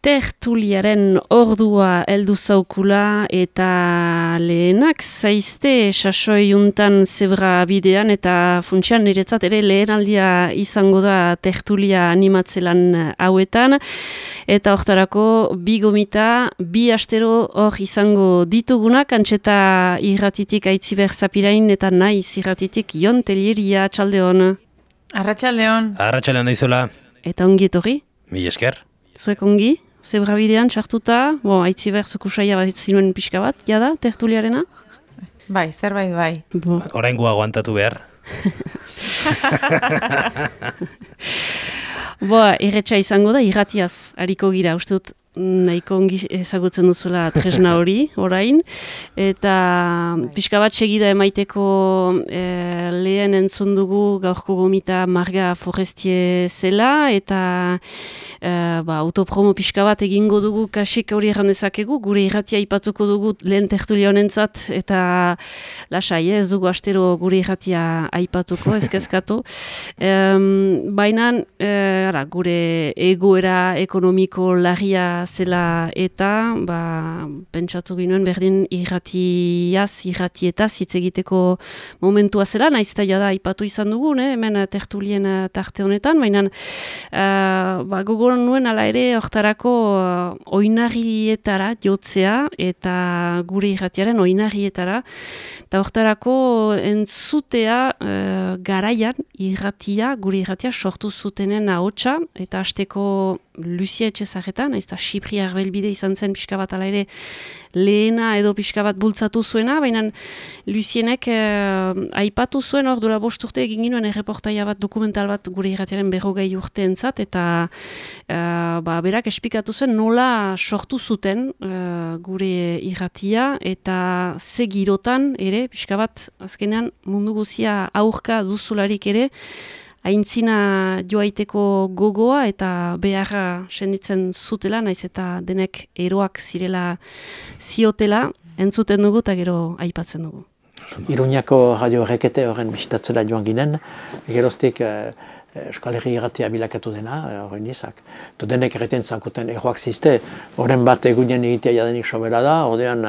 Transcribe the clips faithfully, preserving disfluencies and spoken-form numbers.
Tertuliaren ordua heldu zaukula eta lehenak zaizte sasoi juntan zebra bidean eta funtsian niretzat ere lehenaldia izango da tertulia animatzelan hauetan eta hortarako bi gomita, bi astero hor izango ditugunak antxeta irratitik Aitziber Zapirain eta naiz irratitik Jon Telleria. Txaldeon. Arratsaldeon. Arratsaldeon daizola. Eta ongi etorri? Mil esker. Zuek ongi? Zebra bidean txartuta, bo, Aitziber zukusaia bat zinuen pixka bat, jada, tertuliarena? Bai, zerbait bai. Bo. Oraingo aguantatu behar. Bo, erretxa izango da, irratiaz, hariko gira, uste dut, nahiko ongi ezagutzen duzula tresna hori, orain, eta pixka bat segida emaiteko e, lehen entzun dugu gaurko gomita Marga Forestie zela, eta e, ba, autopromo pixka bat egingo dugu kasik hori erran dezakegu, gure irratia ipatuko dugu lehen tertulia honentzat, eta lasai, ez dugu astero gure irratia aipatuko, ezkezkatu. E, Baina, e, ara, gure egoera ekonomiko larria zela eta ba, pentsatu ginoen berdin irratiaz, irratietaz hitz egiteko momentua zela, naiz eta jada aipatu izan dugu, ne? Hemen tertulien tarte honetan, baina uh, ba, gogoran nuen ala ere hortarako uh, oinarrietara jotzea eta gure irratiaren oinarrietara, eta hortarako entzutea uh, garaian irratia, gure irratia sortu zutenen ahotsa, eta hasteko Lucia Etxezarreta, naiz eta Xipri Arbelbide izan zen pixka bat ala ere lehena edo pixka bat bultzatu zuena, baina Lucienek eh, aipatu zuen hor dola bost urte egin ginoen erreportaia bat, dokumental bat gure irratiaren berrogei urteentzat, eta eh, ba, berak esplikatu zuen nola sortu zuten eh, gure irratia eta ze girotan ere, pixka bat azkenean mundu guzia aurka duzularik ere, aintzina joaiteko gogoa eta beharra senditzen zutela, naiz eta denek eroak zirela ziotela, entzuten dugu eta gero aipatzen dugu. Iruñako radio rekete horren bisitatzera joan ginen, geroztik eh, Euskal Herri irratia bilakatu dena, horren izak. To denek erreten zankuten eroak zizte, horren bat egunen egitea jadenik sobera da, ordean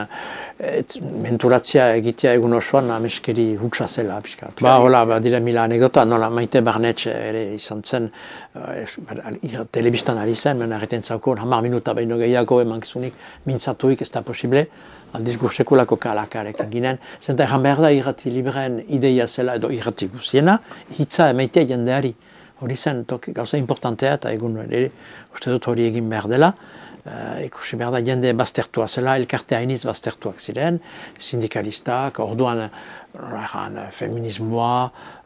et, menturatzia egitea egun osoan ameskeri hutsa zela. Piskat. Ba, hola, ba, dire mila anekdota, nola Maite Barnetx ere izan zen, uh, telebistan ari zen, men erreten zankun, hamar minuta behin gehiago emankizunik mintzatuik ez da posible, aldiz gursekulako kalakarekin ginen. Zenta erran behar da irrati libreen ideia zela edo irrati guziena, hitza emaitea jendeari. Hori zen, toki, gauza importantea eta egun ere, uste dut hori egin behar dela. Uh, ikusi behar da jende baztertua zela, elkarte hainiz baztertuak ziren, sindikalistak, orduan erran, feminismoa,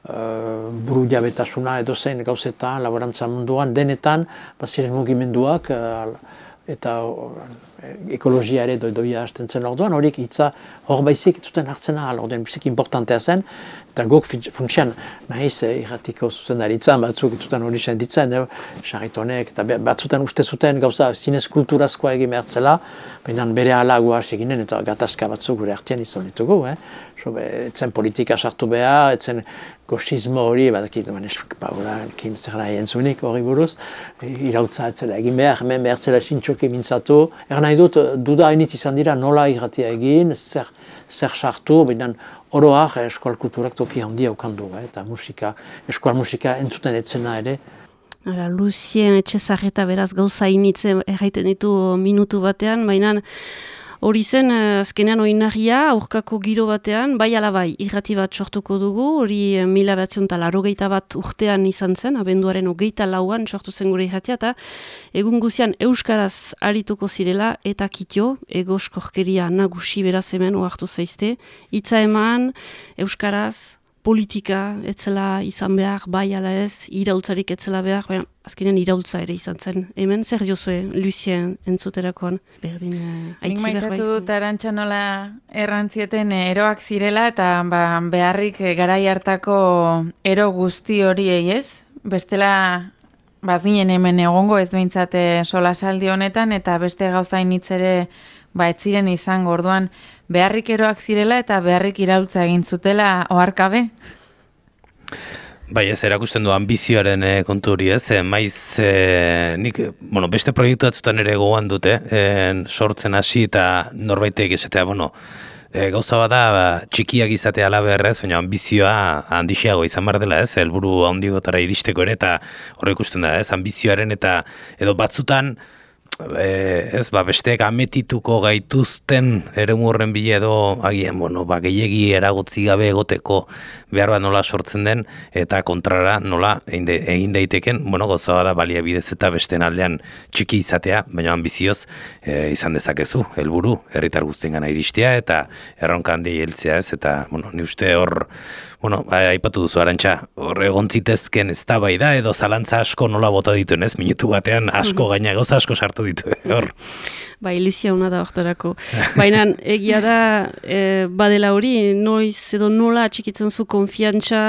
uh, buru jabetasuna edo zein gauzetan, laborantza munduan, denetan, baziren mugimenduak, uh, eta ekologia ere doidoia hasten zen orduan, horiek hitza hor baizik zuten hartzen ahal, orduan biziki importantea zen, eta guk funtsian nahiz irratiko zuzendaritzan, batzuk zuten hori senditzen, sarritonek, eta batzutan uste zuten gauza zinez kulturazkoa egin behartzela, baina bere ala guaz eginen, eta gatazka batzuk gure artean izan ditugu, eh? So, etzen politika sartu behar, etzen goxismo hori, badakit, paulakin zer nahi entzunik hori buruz, irautza etzela egin behar, hemen behar zela sintxoki mintzatu. Er nahi dut, duda hainitz izan dira nola irratia egin, zer, zer sartu, baina oroak eskual kulturak toki handia ukandu, eh? Eta musika, eskual musika entzuten etzena ere. Hala, Lucien Etxezarreta beraz gauza hainitz erraiten ditu minutu batean, baina hori zen, azkenean oinarria, aurkako giro batean, bai ala bai, irrati bat sortuko dugu, hori mila batzion eta larogeita bat urtean izan zen, abenduaren hogeita lauan sortu zen gure irratia, eta egun guzian euskaraz arituko zirela, eta kitio, egoskorkeria nagusi beraz hemen, oartu zaizte, hitza eman, euskaraz, politika etzela izan behar, bai ala ez, iraultzarik etzela behar, baina azkenean iraultza ere izan zen. Hemen, zer diozue Lucien entzuterakoan? Berdin, uh, Nik maitatu dut Arantxa nola errantzieten eroak zirela, eta ba, beharrik garai hartako ero guzti horiei ez. Bestela, bazinen hemen egongo ez behintzate solasaldi honetan, eta beste gauzain hitz ere ba, ez ziren izango, orduan beharrik eroak zirela eta beharrik iraultza egin zutela oharkabe? Bai, ez, erakusten du ambizioaren e, kontu hori ez, e, maiz, e, nik, bueno, beste proiektu batzutan ere gogoan dute, e, sortzen hasi eta norbaitek esatea, bueno, e, gauza bada ba, txikiak izatea alaberrez, baina ambizioa handixiago izan behar dela ez, helburu handigotara iristeko ere, eta horre ikusten da ez, ambizioaren eta edo batzutan, E, ez, ba, besteek ametituko gaituzten eremu horren bile edo agian, bueno, ba, gehiegi eragotzi gabe egoteko behar bat nola sortzen den eta kontrara nola egin, de, egin daiteken, bueno, goza da baliabidez eta besteen aldean txiki izatea, baina ambizioz e, izan dezakezu, helburu herritar guztien gana iristea eta erronka handi heltzea ez, eta, bueno, ni uste hor, bueno, aipatu duzu Arantxa, hor egon zitezken eztabaida edo zalantza asko nola bota dituen, ez? Minutu batean asko gaina gauza asko sartu ditu, hor. Ba, ilizia hona da hortarako. Baina egia da, e, badela hori, noiz edo nola atxikitzen zu konfiantza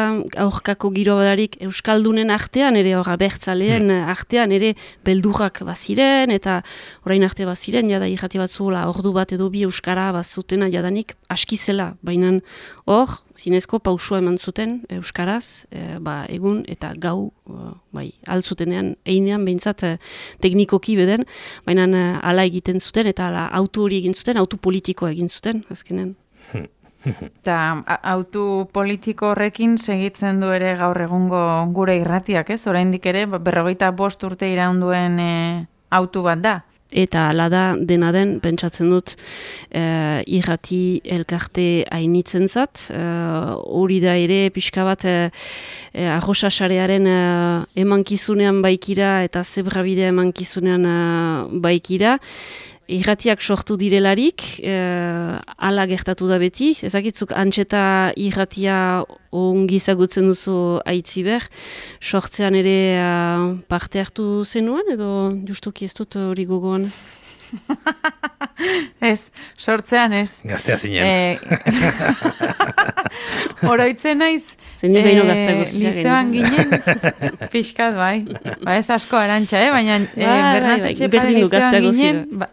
aurkako giro badarik Euskaldunen artean, ere hor abertzaleen hmm. artean, ere beldurrak baziren, eta orain arte baziren, jada irrati batzu ordu bat edo bi Euskara bazutena jadanik askizela, baina hor, zinezko pausua eman zuten Euskaraz, e, ba, egun eta gau, e, bai, altzutenean, einean behintzat e, teknikoki beden, baina e, ala egiten zuten, eta ala autu hori egin zuten, autu politikoa egin zuten, azkenen. Eta autu politiko horrekin segitzen du ere gaur egungo gure irratiak, ez? Oraindik ere, berrogeita bost urte iraunduen e, autu bat da. Eta ala da dena den, pentsatzen dut, e, irrati elkarte hainitzen zat. Hori da ere, pixka bat, e, e, arrosasarearen e, emankizunean baikira eta zebrabidea emankizunean e, baikira. Irratiak sortu direlarik, eh, ala gertatu da beti. Ezakitzuk antxeta irratia ongi zagutzen duzu aitziber. Sortzean ere uh, parte hartu zenuen, edo justuki ez dut hori gogoan? Ez, sortzean ez. Gaztea zinen. E, Oroitzen naiz, Zenik behin gaztea gozia lizeoan ginen, pixkat bai. Ba ez asko Arantxa, eh? Baina e, Bernat Etxepare lizeoan ginen... Ba,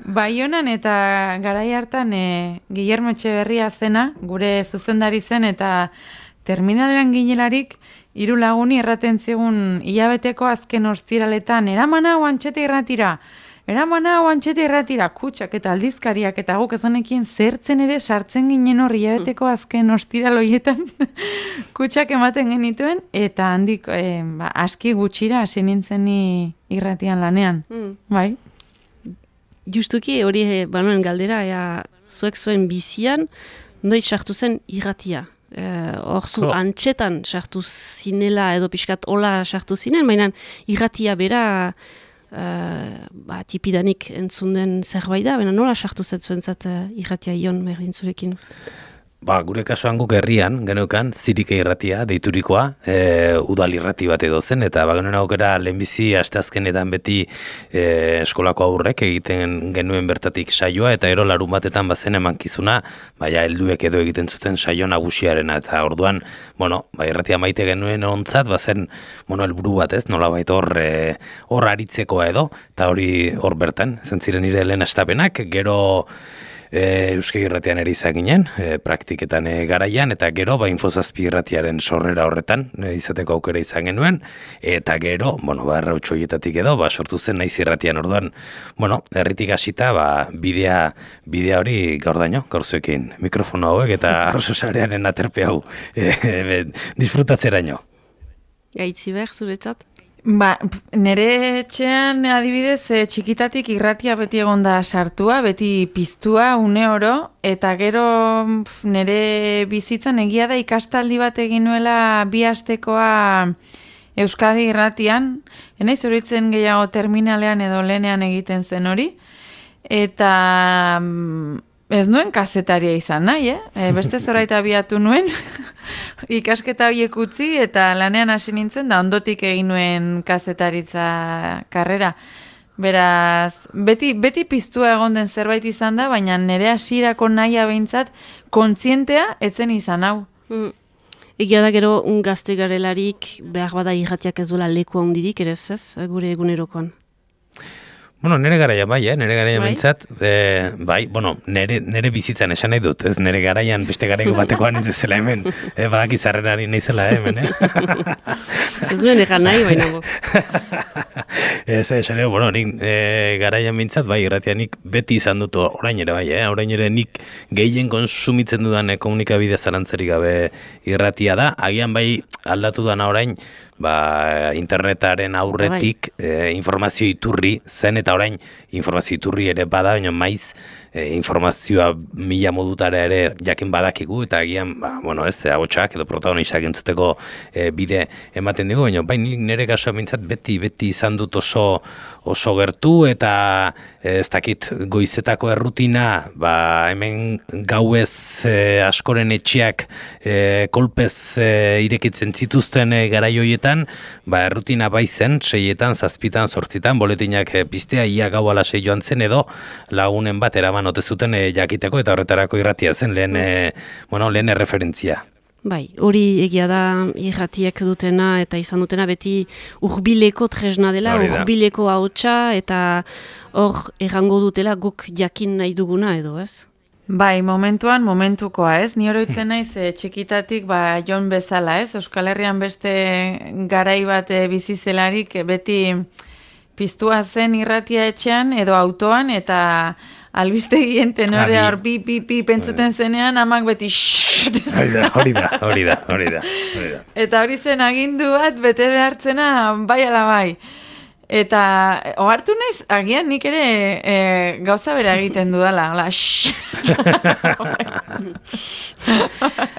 Baionan eta garai hartan e, Guillermo Etxeberria zena, gure zuzendari zen, eta terminalean ginelarik hiru laguni erraten zigun hilabeteko azken ostiraletan, eraman hau antxeta irratira, eraman hau antxeta irratira, kutsak eta aldizkariak, eta guk ezanekin zertzen ere sartzen ginen hor hilabeteko azken ostiraloietan kutsak ematen genituen, eta handik e, ba, aski gutxira hasi nintzen ni irratian lanean, mm. bai? Justuki hori e, banuen galdera, ea, zuek zuen bizian, noiz sartu zen irratia. Hor zu oh. antxetan sartu zinela edo pixkat hola sartu zinen, baina irratia bera uh, ba, tipidanik entzun den zerbait da, baina nola sartu zuen zat uh, irratia ion berdin zurekin? Ba, gure kasuan guk herrian, geneukan, zirike irratia, deiturikoa, e, udal irrati bat edo zen, eta ba, genuen aukera lehenbizi asteazkenetan beti e, eskolako aurrek egiten genuen bertatik saioa, eta ero larun batetan bazen emankizuna, baina helduek edo egiten zuten saio nagusiarena, eta orduan, bueno, ba, irratia maite genuen ontzat, bazen, bueno, helburu bat ez, nola baita hor, e, hor aritzekoa edo, eta hori hor bertan, zentziren nire lehen astapenak, gero, E, Euskal Irratian ere izan ginen, e, praktiketan e, garaian, eta gero, ba, Infozazpi Irratiaren sorrera horretan e, izateko aukera izan genuen, eta gero, bueno, ba, errautxoietatik edo, ba, sortu zen naiz irratian orduan, bueno, herritik hasita, ba, bidea, bidea hori gaur daño, gaur zuekin mikrofono hauek eta arrososarearen aterpe hau e, e, disfrutatzeraino. Gaitzi behar zuretzat? Ba, nere etxean adibidez e, txikitatik irratia beti egonda sartua, beti piztua une oro, eta gero pf, nere bizitzan egia da ikastaldi bat egin nuela bi astekoa Euskadi irratian, enaiz horitzen gehiago terminalean edo lehenean egiten zen hori, eta ez nuen kazetaria izan nahi, eh? E, beste zoraita abiatu nuen, ikasketa horiek utzi eta lanean hasi nintzen, da ondotik egin nuen kazetaritza karrera. Beraz, beti, beti piztua egon den zerbait izan da, baina nire hasierako nahia behintzat kontzientea etzen izan hau. Mm. Egia da gero un gazte garelarik behar bada irratiak ez duela leku handirik, ere ez, gure egunerokoan? Bueno, nere garaia bai, eh? Nere garaia bai? bintzat, eh, bai, bueno, nere, nere bizitzan esan nahi dut, ez nere garaian beste garaiko batekoan ez zela hemen, eh, badaki zarrenari nahi zela hemen, eh? Ez duen egan nahi, baina bo. Ez, esan dugu, bueno, nik e, garaian bintzat, bai, irratia nik beti izan dut orain ere bai, eh? Orain ere nik gehien konsumitzen dudan komunikabide zarantzarik gabe irratia da, agian bai aldatu dana orain, ba, internetaren aurretik e, informazio iturri zen eta orain informazio iturri ere bada, baina maiz e, informazioa mila modutara ere jakin badakigu eta agian, ba, bueno, ez, ahotsak edo protagonistak entzuteko e, bide ematen dugu, baina bai nire kasua mintzat beti, beti izan dut oso, oso gertu eta ez dakit goizetako errutina, ba, hemen gauez e, askoren etxeak e, kolpez e, irekitzen zituzten e, garai hoietan, ba, errutina bai zen, seietan, zazpitan, zortzitan, boletinak e, piztea, ia gau ala sei joan zen edo lagunen bat eraman ote zuten e, jakiteko eta horretarako irratia zen lehen, e, bueno, lehen erreferentzia. Bai, hori egia da irratiek dutena eta izan dutena beti urbileko tresna dela, urbileko ahotsa eta hor errango dutela guk jakin nahi duguna edo, ez? Bai, momentuan, momentukoa, ez? Ni oroitzen naiz e, txikitatik ba, Jon bezala, ez? Euskal Herrian beste garai bat e, bizi zelarik e, beti piztua zen irratia etxean edo autoan eta albistegien tenorea hor pi, pi, pi pentsuten zenean amak beti hori da, hori da, hori da, hori da. Eta hori zen agindu bat bete behartzena bai ala bai. Eta ohartu naiz, agian nik ere e, gauza bera egiten dudala, hola,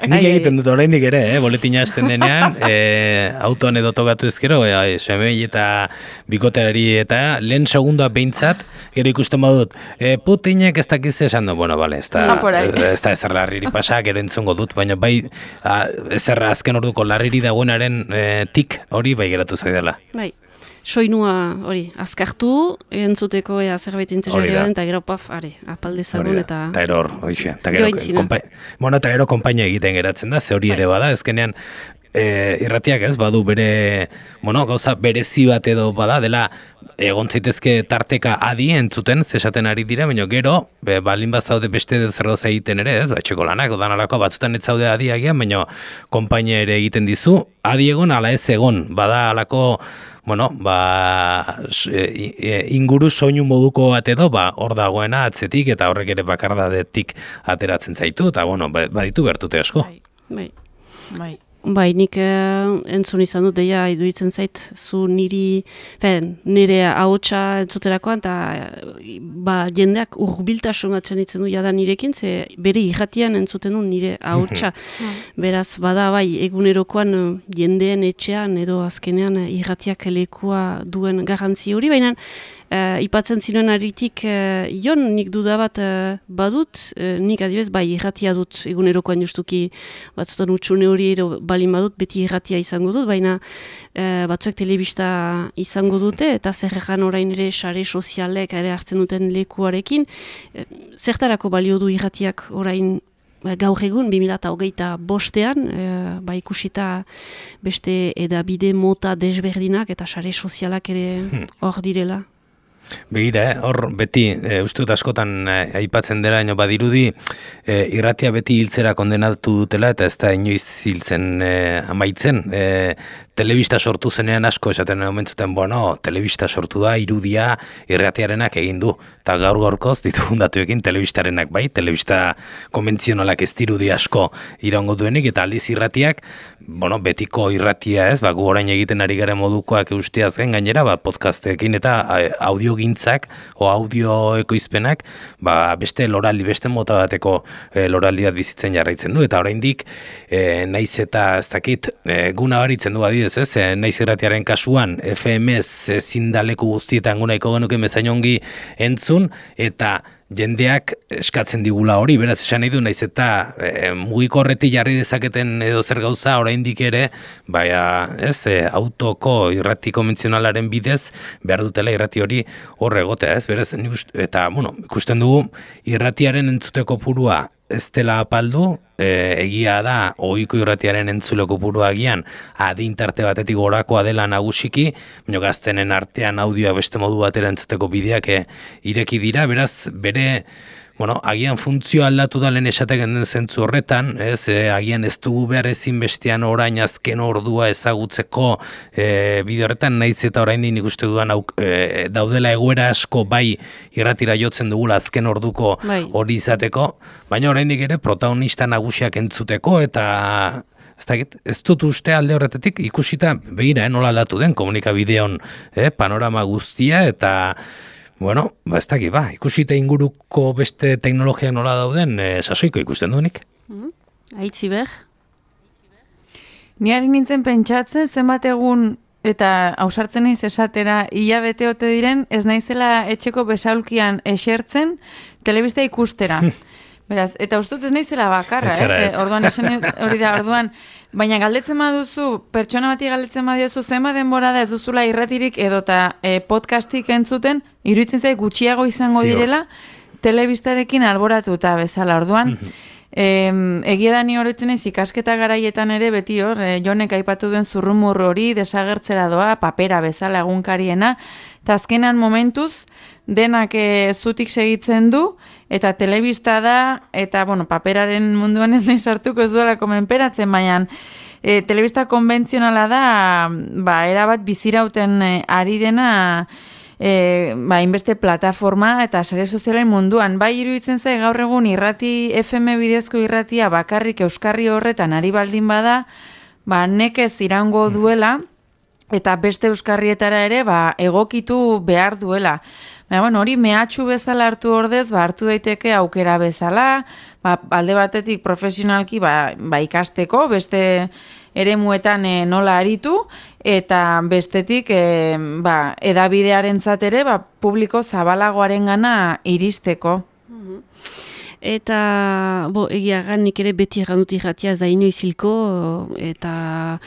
nik egiten dut oraindik ere, eh? Boletina hasten denean, e, autoan edo tokatu ezkero, e, semei eta bikoterari eta lehen segundoa behintzat, gero ikusten badut, e, Putinek ez dakiz esan du, bueno, bale, ez da, ez da ezer larriri pasa, gero entzungo dut, baina bai, a, ezer azken orduko larriri dagoenaren e, tik hori bai geratu zaidala. Bai. Soinua hori, azkartu, entzuteko ea zerbait interesgarria eta gero paf, are, apalde zagun eta... Eta eror, hoxe, eta gero, kompa... bueno, eta gero konpainia egiten geratzen da, ze hori ere bada, ezkenean e, irratiak ez, badu bere, bueno, gauza berezi bat edo bada, dela egon zaitezke tarteka adi entzuten, zesaten ari dira, baina gero, be, balin bat zaude beste zer gauza egiten ere, ez, ba, etxeko lanak, odan alako, batzutan ez zaude adi agian, baina konpainia ere egiten dizu, adi egon, ala ez egon, bada alako, bueno, ba, inguru soinu moduko bat edo, ba, hor dagoena atzetik eta horrek ere bakardadetik ateratzen zaitu, eta, bueno, baditu gertute asko. Bai, bai. Bai. Bai, nik eh, entzun izan dut, deia, iduitzen zait, zu niri, fen, nire ahotsa entzuterakoan, eta ba, jendeak urbiltasun batzen ditzen du jada nirekin, ze bere irratian entzuten du nire ahotsa. Beraz, bada, bai, egunerokoan jendeen etxean edo azkenean irratiak lekua duen garrantzi hori, baina Uh, ipatzen ziren aritik, uh, Jon, nik duda bat uh, badut, uh, nik adibez, bai, irratia dut, egunerokoan justuki batzutan utxune hori ero balin badut, beti irratia izango dut, baina uh, batzuek telebista izango dute, eta zerrekan orain ere sare sozialek ere hartzen duten lekuarekin, uh, zertarako balio du irratiak orain gaur egun, bi mila hogeita bostean, e, ba ikusita beste edabide mota desberdinak eta sare sozialak ere hor direla. Begira, hor beti, e, uste dut askotan e, aipatzen dela, ino badirudi, e, irratia beti hiltzera kondenatu dutela, eta ez da inoiz hiltzen e, amaitzen. E, telebista sortu zenean asko esaten omentzuten, bueno, telebista sortu da, irudia, irratiarenak egin du. Eta gaur gaurkoz ditugun datuekin telebistarenak bai, telebista konbentzionalak ez dirudi asko iraungo duenik, eta aldiz irratiak, bueno, betiko irratia ez, ba, gu orain egiten ari garen modukoak eusteaz gain gainera, ba, podcastekin eta audiogintzak o audio ekoizpenak, ba, beste loraldi, beste mota bateko e, loraldi bat bizitzen jarraitzen du, eta oraindik e, naiz eta ez dakit, e, gu nabaritzen du adidez ez, e, naiz irratiaren kasuan, F M ez zindaleku guztietan gunaiko genuke mezain ongi entzun, eta jendeak eskatzen digula hori, beraz esan nahi du, naiz eta e, mugiko horretik jarri dezaketen edo zer gauza oraindik ere, baina ez, e, autoko irrati konbentzionalaren bidez behar dutela irrati hori hor egotea, ez, beraz, eta, bueno, ikusten dugu irratiaren entzuteko purua ez dela apaldu, e, egia da, ohiko irratiaren entzule kopurua agian, adin tarte batetik gorakoa dela nagusiki, baina gaztenen artean audioa beste modu batera entzuteko bideak e, ireki dira, beraz, bere, bueno, agian funtzio aldatu da lehen esateken den zentzu horretan, ez, e, agian ez dugu behar ezin bestean orain azken ordua ezagutzeko e, bideo horretan, nahiz eta orain nik uste dudan auk, e, daudela egoera asko bai irratira jotzen dugula azken orduko bai. hori izateko, baina oraindik ere protagonista nagusiak entzuteko eta ez dakit, ez dut uste alde horretatik ikusita begira, eh, nola aldatu den komunikabideon eh, panorama guztia eta bueno, ba ez dakit, ba, ikusita inguruko beste teknologiak nola dauden, eh, sasoiko ikusten duenik. Mm-hmm. Aitzi ber? Ni ari nintzen pentsatzen zenbat egun eta ausartzen naiz esatera hilabete ote diren, ez naizela etxeko besaulkian esertzen telebista ikustera. Beraz, eta ustut ez naizela bakarra, eh? Ez. Orduan esan hori da, orduan, baina galdetzen baduzu, pertsona bati galdetzen badiozu, zenba denbora da ez duzula irratirik edota eh, podcastik entzuten, iruditzen zait gutxiago izango Zior. direla, telebistarekin alboratuta bezala. Orduan, eh, egia da ni oroitzen naiz ikasketa garaietan ere beti hor, eh, Jonek aipatu duen zurrumur hori desagertzera doa, papera bezala egunkariena, eta azkenan momentuz, denak e, zutik segitzen du, eta telebista da, eta, bueno, paperaren munduan ez nahi sartuko ez duela komenperatzen, baina e, telebista konbentzionala da, ba, erabat bizirauten e, ari dena, e, ba, inbeste plataforma eta sare sozialen munduan. Bai iruditzen zai gaur egun irrati F M bidezko irratia bakarrik euskarri horretan ari baldin bada, ba, nekez irango duela, eta beste euskarrietara ere ba, egokitu behar duela. Baina, bueno, hori mehatxu bezala hartu ordez, ba, hartu daiteke aukera bezala, ba, alde batetik profesionalki ba, ba, ikasteko, beste eremuetan e, nola aritu, eta bestetik e, ba, edabidearentzat ere ba, publiko zabalagoaren gana iristeko. Eta, bo, egia gan, nik ere beti egan dut irratia ez da inoiz hilko, eta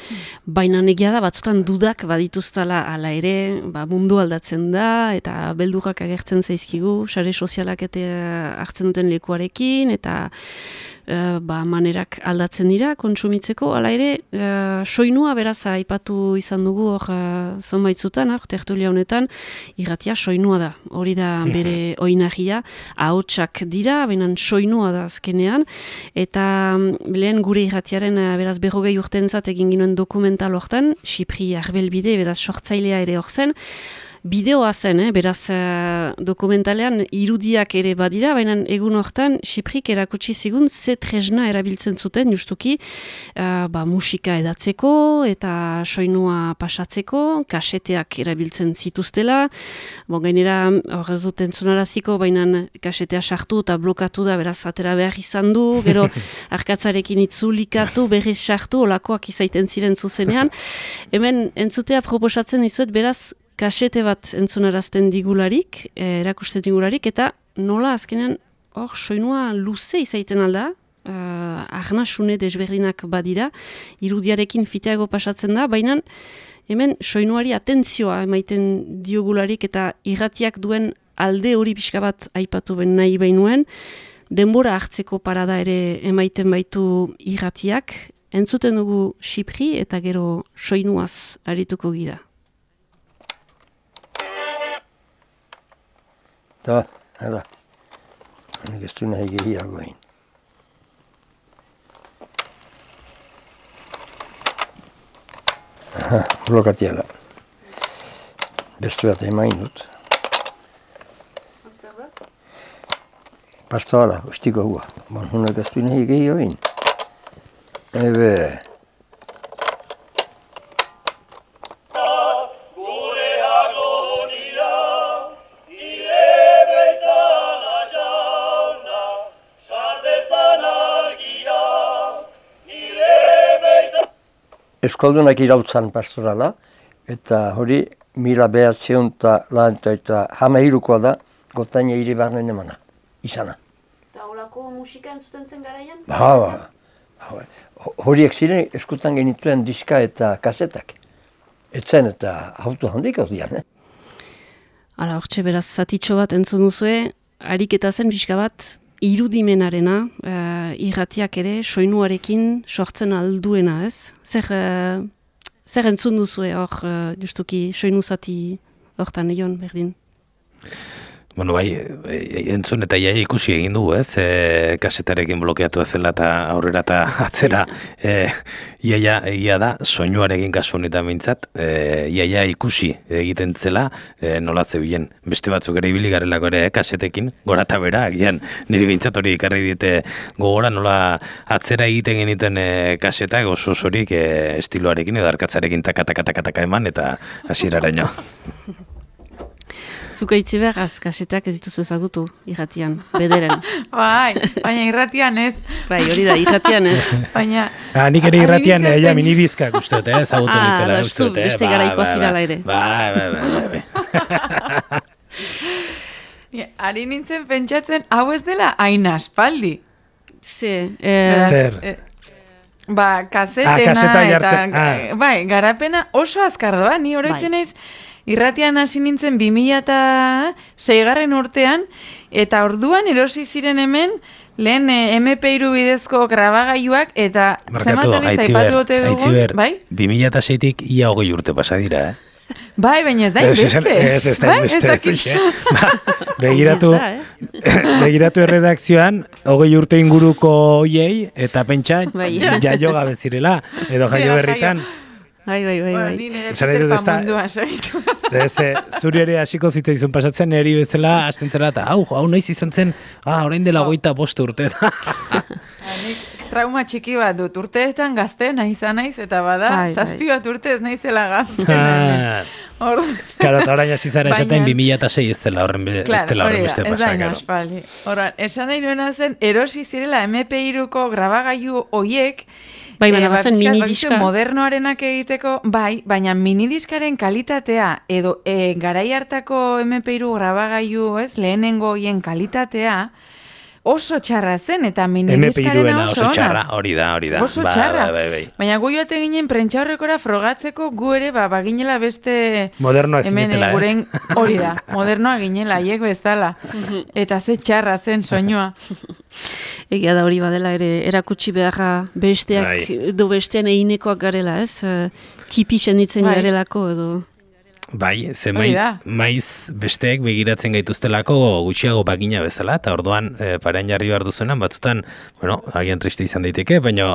baina egia da batzutan dudak badituztala ala ere, ba, mundu aldatzen da, eta beldurrak agertzen zaizkigu, sare sozialak eta hartzen duten lekuarekin, eta Uh, ba, manerak aldatzen dira kontsumitzeko, hala ere uh, soinua beraz aipatu izan dugu hor uh, zonbaitzutan, hor tertulia honetan, irratia soinua da, hori da bere oinarria, ahotsak dira, baina soinua da azkenean, eta um, lehen gure irratiaren uh, beraz berrogei urtentzat egin ginoen dokumental hortan, Xipri Arbelbide, beraz sortzailea ere hor zen, bideoa zen, eh? Beraz uh, dokumentalean irudiak ere badira, baina egun hortan Xiprik erakutsi zigun ze tresna erabiltzen zuten justuki uh, ba, musika edatzeko eta soinua pasatzeko, kaseteak erabiltzen zituztela, bon, gainera hor ez dut entzunaraziko, baina kasetea sartu eta blokatu da, beraz atera behar izan du, gero arkatzarekin itzulikatu, berriz sartu, olakoak izaiten ziren zuzenean. Hemen entzutea proposatzen dizuet, beraz kasete bat entzunarazten digularik, eh, erakusten digularik, eta nola azkenean hor soinua luze izaiten alda, uh, arnasune desberdinak badira, irudiarekin fiteago pasatzen da, baina hemen soinuari atentzioa emaiten diogularik eta irratiak duen alde hori pixka bat aipatu ben nahi bainuen, denbora hartzeko parada ere emaiten baitu irratiak, entzuten dugu Xipri eta gero soinuaz arituko gira. Da, hala. Nik ez du nahi gehiago egin. Aha, blokatiala. Beste bat emain dut. Pastoala, ustiko hua. Bon, hunak ez du nahi gehiago egin. Ebe... Euskaldunak irautzan pastorala, eta hori mila behatzeun eta lanta eta hamairukoa da, gotaina hiri barnen emana, izana. Eta holako musika entzuten zen garaian? Ba, ba, ba, horiek ziren eskutan genituen diska eta kasetak. Etzen eta auto handik hau dian, eh? Hala, hortxe beraz zatitxo bat entzun duzue, ariketa zen pixka bat, irudimenarena, uh, irratiak ere soinuarekin sortzen alduena, ez? Zer, uh, zer entzun duzue hor, uh, justuki soinu zati hortan egon berdin? Bueno, bai, entzun eta iaia ikusi egin dugu, ez? E, kasetarekin blokeatu zela eta aurrera eta atzera. E, iaia egia da, soinuarekin kasu honetan mintzat, e, iaia ikusi egiten zela e, nola zebilen. Beste batzuk ere ibili garelako ere, eh, kasetekin, gora eta bera, agian niri bintzat hori ikarri dite gogora nola atzera egiten genituen e, kasetak oso osorik e, estiloarekin edo arkatzarekin taka-taka-taka eman eta hasieraraino. Zuka itzi behar, kasetak ez dituzu ezagutu, irratian, bederen. Bai, baina irratian ez. Bai, hori da, irratian ez. Baina... Ah, nik ere irratian ja, minibizkak usteet, eh, ezagutu ah, nitela. Ah, da, beste garaikoa zirala ere. Bai, bai, bai, bai. Ja, ari nintzen pentsatzen, hau ez dela hain aspaldi. Ze, eh, Zer. Eh, ba, kasetena ah, kaseta eta... jartzen, ah. Bai, garapena oso azkar doa, ni oroitzen Bai. naiz... Irratian hasi nintzen bi mila seigarren urtean, eta orduan erosi ziren hemen lehen eme pe hiru bidezko grabagailuak, eta Markatu, zenbat aliz aipatu ote dugun, bai? bi mila seitik ia hogei urte pasa dira, eh? Bai, baina ez da inbeste. Ez, ez da inbeste. Begiratu, begiratu erredakzioan, hogei urte inguruko hoiei, eta pentsa, jaio gabe zirela, edo jaio berritan. Bai, bai, bai, bai. Ni nire Peter Pan munduan saritu. Zuri ere hasiko zitzaizun pasatzen, niri bezala hasten zera, eta hau, hau noiz izan zen, ah, orain dela goita bost urte da. Nik trauma txiki bat dut, urteetan gazte nahi izan naiz, eta bada, Bai, zazpi bat urte ez naizela gazte. Karo, eta orain hasi zara esaten bi mila sei ez dela horren beste pasa. Horan, esan nahi nuena zen, erosi zirela eme pe hiruko grabagailu hoiek, bai, baina e, bazen minidiska. Modernoarenak egiteko, bai, baina minidiskaren kalitatea, edo e, garai hartako eme pe hiru grabagailu, ez, lehenengo hoien kalitatea, oso txarra zen, eta minidiskarena oso, oso txarra, hori da, hori da. Oso ba, txarra. Ba, ba, ba, ba. Baina gu joate ginen prentxaurrekora frogatzeko gu ere, ba, baginela beste... Modernoa zinetela, ez? Guren, hori da, modernoa ginela, hiek bezala. Eta ze txarra zen soinua. Egia da hori badela ere, erakutsi beharra besteak, bai. edo bestean einekoak garela, ez? Tipi senditzen bai. Garelako, edo... Bai, ze maiz, maiz besteek begiratzen gaituztelako gutxiago bagina bezala, eta orduan e, parean jarri behar duzuenan, batzutan, bueno, agian triste izan daiteke, baina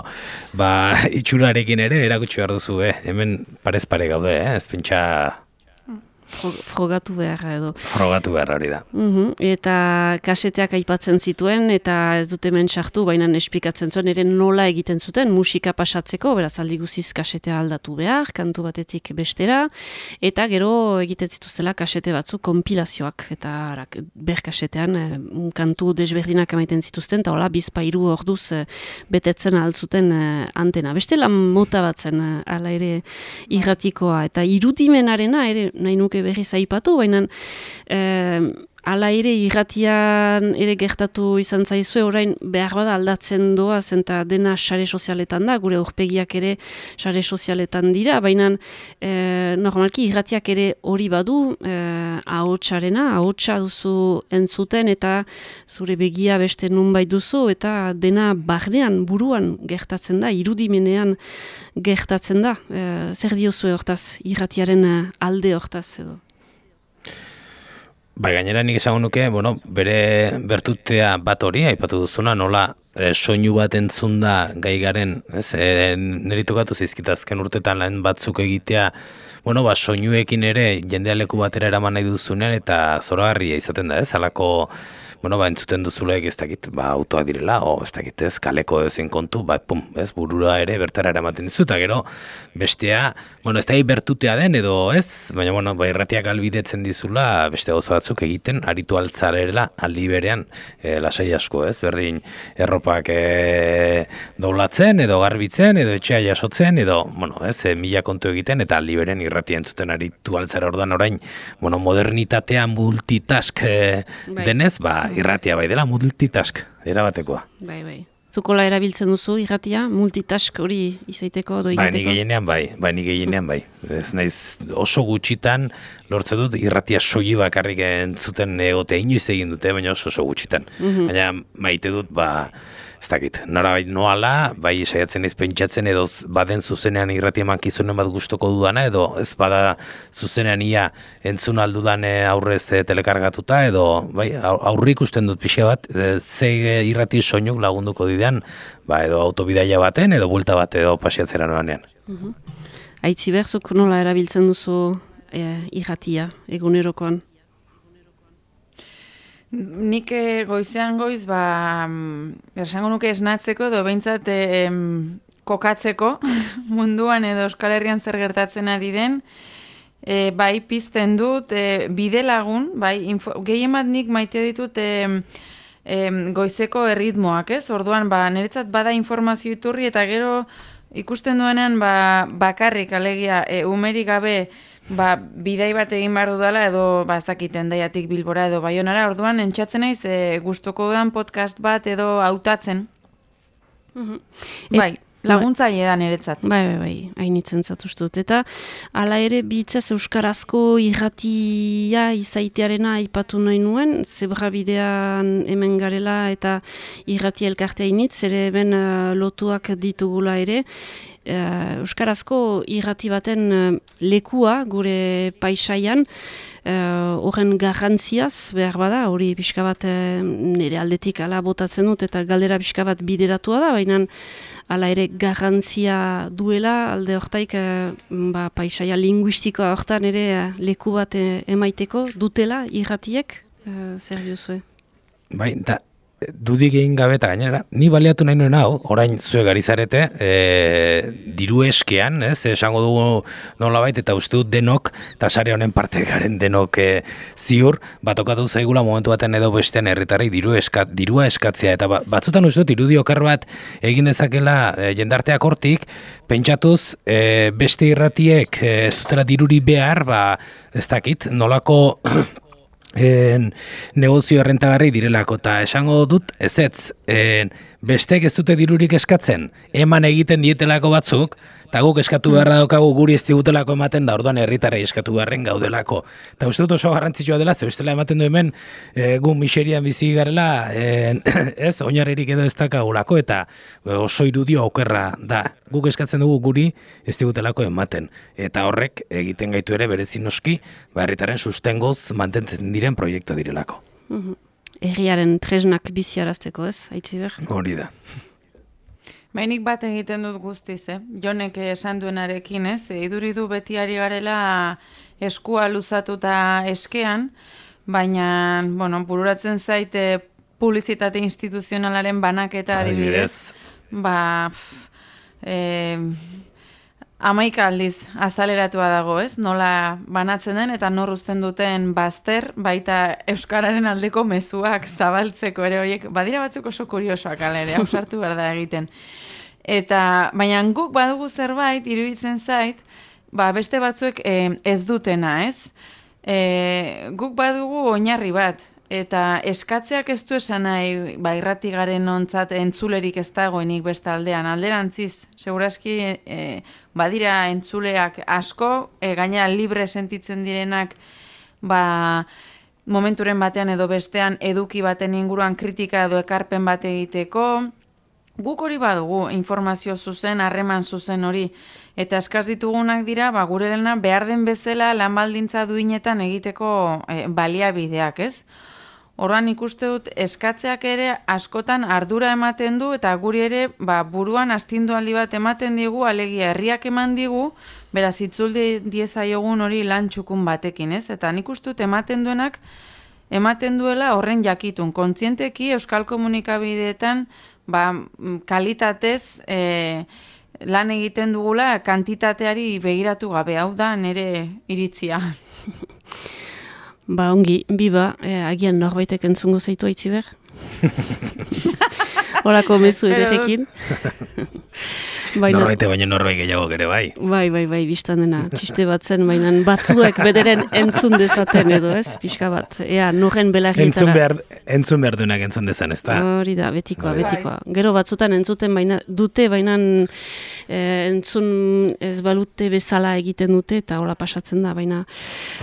ba, itxurarekin ere erakutsi behar duzu, eh? Hemen parez pare gaude, eh? Ez pentsa... Frogatu beharra edo. Frogatu beharra hori da. Uhum, eta kaseteak aipatzen zituen, eta ez dute hemen sartu, baina esplikatzen zuen, ere nola egiten zuten musika pasatzeko, beraz aldi guziz kasetea aldatu behar, kantu batetik bestera, eta gero egiten zituzela kasete batzu konpilazioak, eta arak, ber kasetean eh, kantu desberdinak emaiten zituzten, eta hola bizpairu orduz eh, betetzen altzuten eh, antena. Beste lan mota batzen eh, ala ere irratikoa, eta irudimenarena ere nahi nuke berriz aipatu, baina eh, ala ere irratian ere gertatu izan zaizue, orain behar bada aldatzen doa, zenta dena sare sozialetan da, gure aurpegiak ere sare sozialetan dira, baina eh, normalki irratiak ere hori badu eh, ahotsarena, ahotsa duzu entzuten eta zure begia beste nunbait duzu, eta dena barnean, buruan gertatzen da, irudimenean gertatzen da. Eh, zer diozue hortaz, irratiaren alde hortaz edo? Bai, gainera nik esango nuke, bueno, bere bertutea bat hori, aipatu duzuna, nola e, soinu bat entzunda gai garen, ez, e, niri tokatu zizkitazken urtetan lan batzuk egitea, bueno, ba, soinuekin ere jendea leku batera eraman nahi duzunean, eta zoragarria izaten da, ez, alako, bueno, ba, entzuten duzuleek ez dakit, ba, autoak direla, o ez dakit ez, kaleko ezin kontu, ba, pum, ez, burura ere bertara eramaten dizu, eta gero, bestea, bueno, ez da bertutea den, edo ez, baina, bueno, ba, irratiak albidetzen dizula, beste gauza batzuk egiten, aritu altzarela, aldi berean, e, lasai asko, ez, berdin, erropak e, doblatzen, edo garbitzen, edo etxea jasotzen, edo, bueno, ez, e, mila kontu egiten, eta aldi berean irratia entzuten aritu altzara ordan orain, bueno, modernitatea multitask e, denez, ba, irratia bai dela multitask, erabatekoa. Bai, bai. Zukola erabiltzen duzu irratia, multitask hori izaiteko edo Bai, egiteko? ni gehienean bai, bai, ni gehienean bai. Ez naiz oso gutxitan lortze dut irratia soili bakarrik entzuten egote inoiz egin dute, baina oso oso gutxitan. Baina maite dut, ba, ez dakit, norabait noala, bai saiatzen naiz pentsatzen edo baden zuzenean irratia emankizunen bat gustoko dudana, edo ez bada zuzenean ia entzun aldudan aurrez eh, telekargatuta, edo bai, aurri ikusten dut pixka bat, eh, ze irrati soinuk lagunduko didean, ba, edo autobidaia baten, edo bulta bat, edo pasiatzera noanean. Aitzi berzuk nola erabiltzen duzu e, irratia egunerokoan? Nik eh, goizean goiz, ba, mm, esango nuke esnatzeko edo behintzat eh, em, kokatzeko munduan edo Euskal Herrian zer gertatzen ari den, e, bai pizten dut, e, bide lagun, bai, info, gehien bat nik maite ditut e, e, goizeko erritmoak, ez? Orduan, ba, niretzat bada informazio iturri eta gero ikusten duenean ba, bakarrik alegia e, umerik gabe ba, bidai bat egin behar dudala edo ba, ezakiten daiatik Bilbora edo Baionara, orduan entxatzen naiz e, gustuko dudan podcast bat edo hautatzen. Mhm. Bai, laguntzaile da niretzat. Bai, bai, bai, hainitzen zatuztut. Eta hala ere bitzaz euskarazko irratia izaitearena aipatu nahi nuen, zebra bidean hemen garela eta irratia elkartea initz, ere hemen uh, lotuak ditugula ere. Uh, euskarazko irrati baten uh, lekua gure paisaian, horren uh, garrantziaz behar bada, hori pixka bat uh, nire aldetik ala botatzen dut eta galdera pixka bat bideratua da, baina hala ere garrantzia duela alde hortaik uh, ba, paisaia linguistikoa hortan ere uh, leku bat uh, emaiteko dutela irratiek, uh, zer diozue? Bai, da, dudik egin gabe eta gainera, ni baliatu nahi nuen hau, orain zuek ari zarete, e, diru eskean, ez, esango dugu nolabait, eta uste dut denok, eta sare honen parte garen denok e, ziur, batokatu zaigula momentu baten edo bestean herritarrei diru eskat, dirua eskatzea, eta ba, batzutan uste dut irudi okar bat egin dezakela e, jendarteak hortik, pentsatuz e, beste irratiek e, ez dutela diruri behar, ba, ez dakit, nolako En, negozio errentagarri direlako, eta esango dut ezetz, en, bestek ez dute dirurik eskatzen, eman egiten dietelako batzuk, eta guk eskatu beharra daukagu guri ez digutelako ematen da, orduan herritarrei eskatu beharren gaudelako. Eta uste dut oso garrantzitsua dela, ze bestela ematen du hemen e, gu miserian bizi garela, en, ez, oinarririk edo ez dakagulako, eta e, oso irudio okerra da. Guk eskatzen dugu guri ez digutelako ematen. Eta horrek egiten gaitu ere berezi noski, ba, herritaren sustengoz mantentzen diren proiektu direlako. Mhm. Herriaren tresnak biziarazteko, ez, Aitziber? Hori da. Bainik bat egiten dut guztiz, eh? Jonek esan duenarekin, ez? Iduri du beti ari garela eskua luzatuta eskean, baina, bueno, bururatzen zaite publizitate instituzionalaren banaketa adibidez. Ba, eh, amaika aldiz azaleratua dago, ez? Nola banatzen den eta nor uzten duten bazter, baita euskararen aldeko mezuak zabaltzeko ere horiek, badira batzuk oso kuriosoak ala ere, ausartu behar da egiten. Eta, baina guk badugu zerbait, iruditzen zait, ba, beste batzuek eh, ez dutena, ez? Eh, guk badugu oinarri bat, eta eskatzeak ez du esan nahi, ba, irratigaren ontzat entzulerik ez dagoenik beste aldean, alderantziz, segurazki eh, badira entzuleak asko, e, gainera libre sentitzen direnak, ba, momenturen batean edo bestean eduki baten inguruan kritika edo ekarpen bat egiteko. Guk hori badugu, informazio zuzen, harreman zuzen hori, eta eskaz ditugunak dira, ba, gure lana behar den bezala lan baldintza duinetan egiteko e, baliabideak, ez? Orduan ikuste dut eskatzeak ere askotan ardura ematen du eta guri ere ba, buruan astindualdi bat ematen digu, alegia herriak eman digu, beraz itzuldi diezaiogun hori lan txukun batekin, ez? Eta nik uste dut ematen duenak, ematen duela horren jakitun. Kontzienteki euskal komunikabideetan ba, kalitatez e, lan egiten dugula kantitateari begiratu gabe, hau da nire iritzia. Ba, ongi, biba, eh, agian norbaitek entzungo zaitu Aitziber? Horako mezu erekin. Baina- Norbaite baino norbait gehiago ere bai. Bai, bai, bai, biztan dena, txiste bat zen, baina batzuek bederen entzun dezaten edo, ez, pixka bat. Ea, noren belarrietara. Entzun behar, entzun behar duenak entzun dezan, ez da? Hori da, betikoa, Bai. betikoa. Gero batzutan entzuten baina dute, baina eh, entzun ez balute bezala egiten dute, eta hola pasatzen da, baina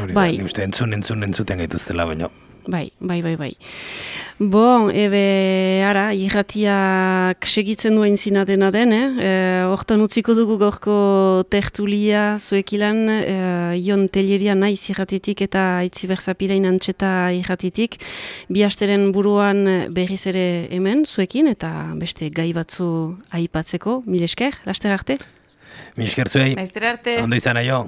Hori da, bai. nik uste entzun, entzun, entzuten gaituztela baino. Bai, bai, bai, bai. Bon, ebe, ara, irratiak segitzen duen zina dena den, eh? E, hortan utziko dugu gorko tertulia zuekilan, e, Ion Telleria naiz irratitik eta Itzi Berzapirein antxeta irratitik. Bi asteren buruan berriz ere hemen zuekin, eta beste gai batzu aipatzeko, mil esker, laster arte? Mil esker zuei, Laster arte. ondo izan aio.